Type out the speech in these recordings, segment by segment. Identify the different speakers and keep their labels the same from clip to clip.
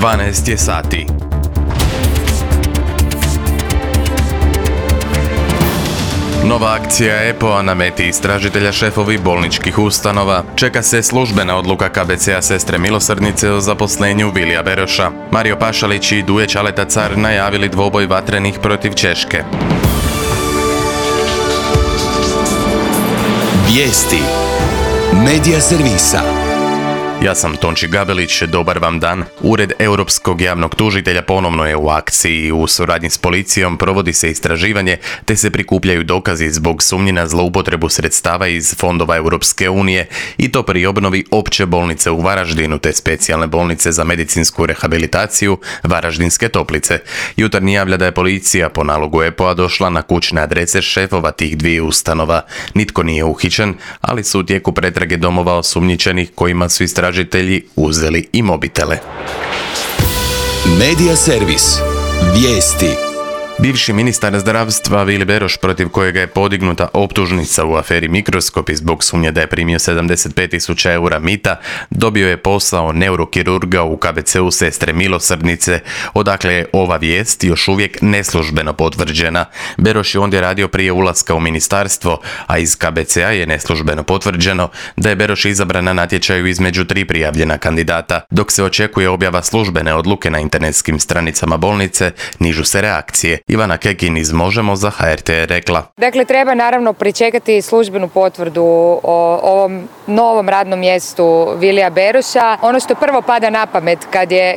Speaker 1: 12 je sati. Nova akcija EPO-a na meti istražitelja šefovi bolničkih ustanova. Čeka se službena odluka KBC-a Sestre milosrdnice o zaposlenju Vilija Beroša. Mario Pašalić i Duje Ćaleta Car najavili dvoboj vatrenih protiv Češke.
Speaker 2: Vijesti Medija servisa.
Speaker 1: Ja sam Tonči Gabelić, dobar vam dan. Ured Europskog javnog tužitelja ponovno je u akciji. U suradnji s policijom provodi se istraživanje te se prikupljaju dokazi zbog sumnji na zloupotrebu sredstava iz fondova Europske unije i to pri obnovi opće bolnice u Varaždinu te specijalne bolnice za medicinsku rehabilitaciju Varaždinske Toplice. Jutarnji javlja da je policija po nalogu EPO-a došla na kućne adrese šefova tih dviju ustanova. Nitko nije uhićen, ali su u tijeku pretrage domova osumnjičenih kojima su istražitelji uzeli i mobitele.
Speaker 2: Medija servis. Vijesti.
Speaker 1: Bivši ministar zdravstva Vili Beroš, protiv kojega je podignuta optužnica u aferi Mikroskop i zbog sumnje da je primio 75.000 eura mita, dobio je posao neurokirurga u KBC-u Sestre milosrdnice, odakle je ova vijest još uvijek neslužbeno potvrđena. Beroš je ondje radio prije ulaska u ministarstvo, a iz KBC-a je neslužbeno potvrđeno da je Beroš izabran na natječaju između 3 prijavljena kandidata. Dok se očekuje objava službene odluke na internetskim stranicama bolnice, nižu se reakcije. Ivana Kekin iz Možemo za HRT je rekla:
Speaker 3: Dakle, treba naravno pričekati službenu potvrdu o ovom novom radnom mjestu Vilija Beroša. Ono što prvo pada na pamet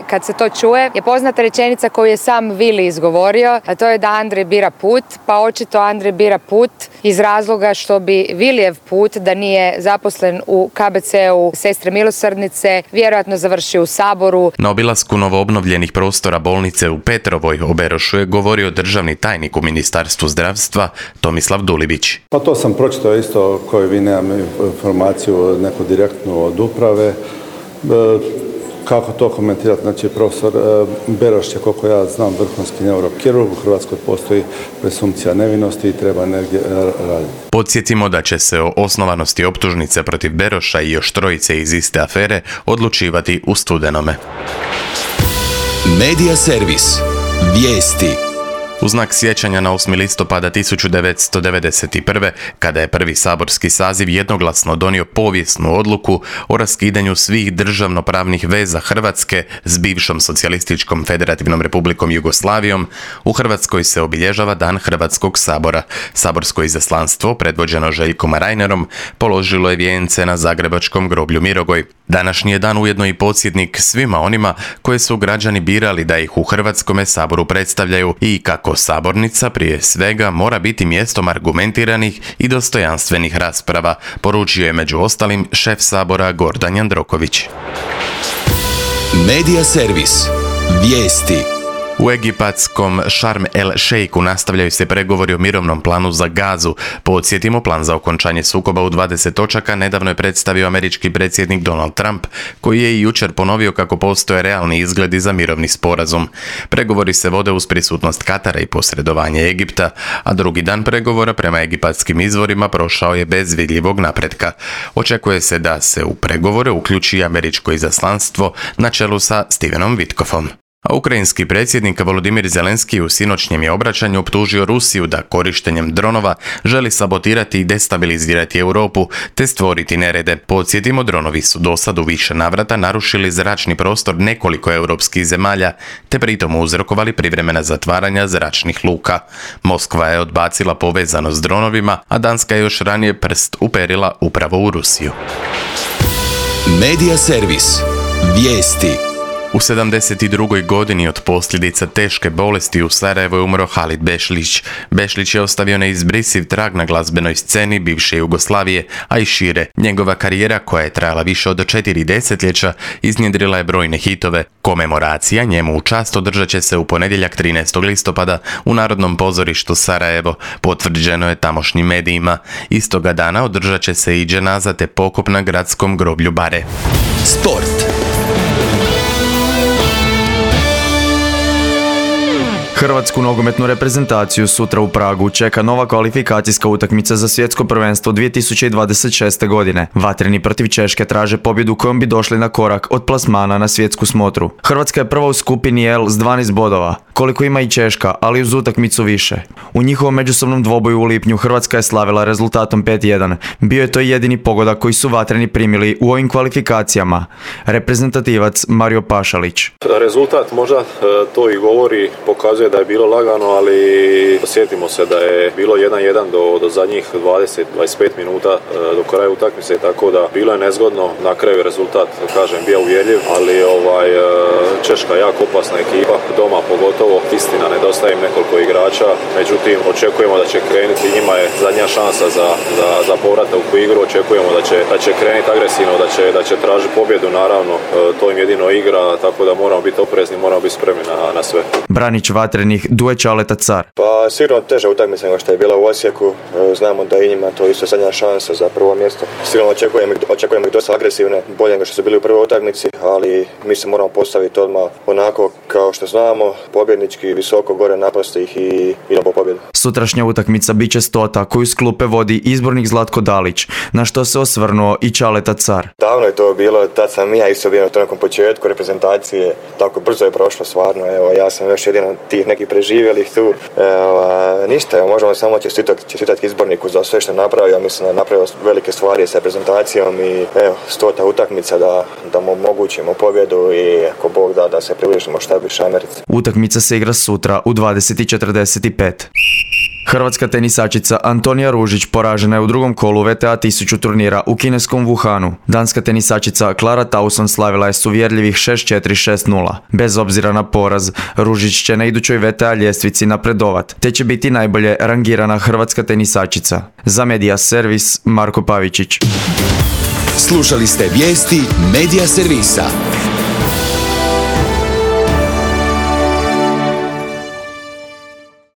Speaker 3: kad se to čuje je poznata rečenica koju je sam Vili izgovorio, a to je da Andrej bira put, pa očito Andrej bira put iz razloga što bi Vilijev put, da nije zaposlen u KBC-u Sestre milosrdnice, vjerojatno završio u Saboru.
Speaker 1: Na obilasku novoobnovljenih prostora bolnice u Petrovoj o Berošu je govorio državni tajnik u Ministarstvu zdravstva Tomislav Dulibić.
Speaker 4: Pa to sam pročitao isto, koju vi nemam informaciju neku direktnu od uprave. Kako to komentirati? Znači, profesor Beroš je, koliko ja znam, vrhunski neurokirurg. U Hrvatskoj postoji presumpcija nevinosti i treba negdje raditi.
Speaker 1: Podsjetimo da će se o osnovanosti optužnice protiv Beroša i još trojice iz iste afere odlučivati u studenome.
Speaker 2: Medija servis. Vijesti.
Speaker 1: U znak sjećanja na 8. listopada 1991. kada je prvi saborski saziv jednoglasno donio povijesnu odluku o raskidanju svih državnopravnih veza Hrvatske s bivšom socijalističkom federativnom republikom Jugoslavijom, u Hrvatskoj se obilježava Dan Hrvatskog sabora. Saborsko izaslanstvo, predvođeno Željkom Reinerom, položilo je vijence na zagrebačkom groblju Mirogoj. Današnji je dan ujedno i podsjetnik svima onima koje su građani birali da ih u Hrvatskome saboru predstavljaju i kako sabornica prije svega mora biti mjestom argumentiranih i dostojanstvenih rasprava, poručio je među ostalim šef sabora Gordan Jandroković.
Speaker 2: Medija servis. Vijesti.
Speaker 1: U egipatskom Šarm el Šejku nastavljaju se pregovori o mirovnom planu za Gazu. Podsjetimo, plan za okončanje sukoba u 20 točaka nedavno je predstavio američki predsjednik Donald Trump, koji je i jučer ponovio kako postoje realni izgledi za mirovni sporazum. Pregovori se vode uz prisutnost Katara i posredovanje Egipta, a drugi dan pregovora prema egipatskim izvorima prošao je bez vidljivog napretka. Očekuje se da se u pregovore uključi i američko izaslanstvo na čelu sa Stevenom Witkofom. A ukrajinski predsjednik Volodimir Zelenski u sinoćnjem je obraćanju optužio Rusiju da korištenjem dronova želi sabotirati i destabilizirati Europu te stvoriti nerede. Podsjetimo, dronovi su dosad u više navrata narušili zračni prostor nekoliko europskih zemalja te pritom uzrokovali privremena zatvaranja zračnih luka. Moskva je odbacila povezanost s dronovima, a Danska je još ranije prst uperila upravo u Rusiju.
Speaker 2: Medija servis. Vijesti.
Speaker 1: U 72. godini od posljedica teške bolesti u Sarajevu je umro Halid Bešlić. Bešlić je ostavio neizbrisiv trag na glazbenoj sceni bivše Jugoslavije, a i šire. Njegova karijera, koja je trajala više od 4 desetljeća, iznjedrila je brojne hitove. Komemoracija njemu u čast održat će se u ponedjeljak 13. listopada u Narodnom pozorištu Sarajevo, potvrđeno je tamošnjim medijima. Istoga dana održat će se i dženaza te pokop na gradskom groblju Bare.
Speaker 2: Sport.
Speaker 5: Hrvatsku nogometnu reprezentaciju sutra u Pragu čeka nova kvalifikacijska utakmica za svjetsko prvenstvo 2026. godine. Vatreni protiv Češke traže pobjedu kojom bi došli na korak od plasmana na svjetsku smotru. Hrvatska je prva u skupini L s 12 bodova, koliko ima i Češka, ali uz utakmicu više. U njihovom međusobnom dvoboju u lipnju Hrvatska je slavila rezultatom 5-1. Bio je to jedini pogodak koji su vatreni primili u ovim kvalifikacijama. Reprezentativac Mario Pašalić.
Speaker 6: Rezultat možda to i govori, pokazuje da je bilo lagano, ali sjetimo se da je bilo 1-1 do zadnjih 20-25 minuta do kraja utakmice, tako da bilo je nezgodno. Na kraju rezultat, kažem, bio uvjerljiv, ali Češka jako opasna ekipa, doma pogotovo, istina nedostaje im nekoliko igrača, međutim očekujemo da će krenuti, njima je zadnja šansa za povratak u igru, očekujemo da će krenuti agresivno, da će tražiti pobjedu, naravno to im jedino igra, tako da moramo biti oprezni, moramo biti spremni na sve.
Speaker 5: Branić vatrenih Duje Čaleta Car.
Speaker 7: Pa sigurno teža utakmica nego što je bila u Osijeku, znamo da i njima to isto zadnja šansa za prvo mjesto. Sigurno očekujemo ih dosta agresivne, bolje nego što su bili u prvoj utakmici, ali mi se moramo postaviti odmah onako kao što znamo, pobjednički, visoko, gore, napasti ih i idemo po pobjedu.
Speaker 5: Sutrašnja utakmica bit će 100. koju s klupe vodi izbornik Zlatko Dalić, na što se osvrnuo i Čaleta Car.
Speaker 7: Davno je to bilo, tad sam ja isto bio na tom nekom početku reprezentacije, tako brzo je prošlo stvarno, evo, ja sam još jedan tih nekih preživjelih tu. Ništa, evo, možemo samo čestitati izborniku za sve što napravio, mislim da je napravio velike stvari sa reprezentacijom i evo, 100. utakmica da mu omogućimo pobjedu i ako Bog da se približimo šta više Americi.
Speaker 5: Utakmica se igra sutra u 20:45. Hrvatska tenisačica Antonija Ružić poražena je u drugom kolu VTA 1000 turnira u kineskom Wuhanu. Danska tenisačica Klara Tauson slavila je s uvjerljivih 6-4, 6-0. Bez obzira na poraz, Ružić će na idućoj VTA ljestvici napredovat, te će biti najbolje rangirana hrvatska tenisačica. Za Media Servis, Marko Pavičić.
Speaker 2: Slušali ste vijesti Media Servisa.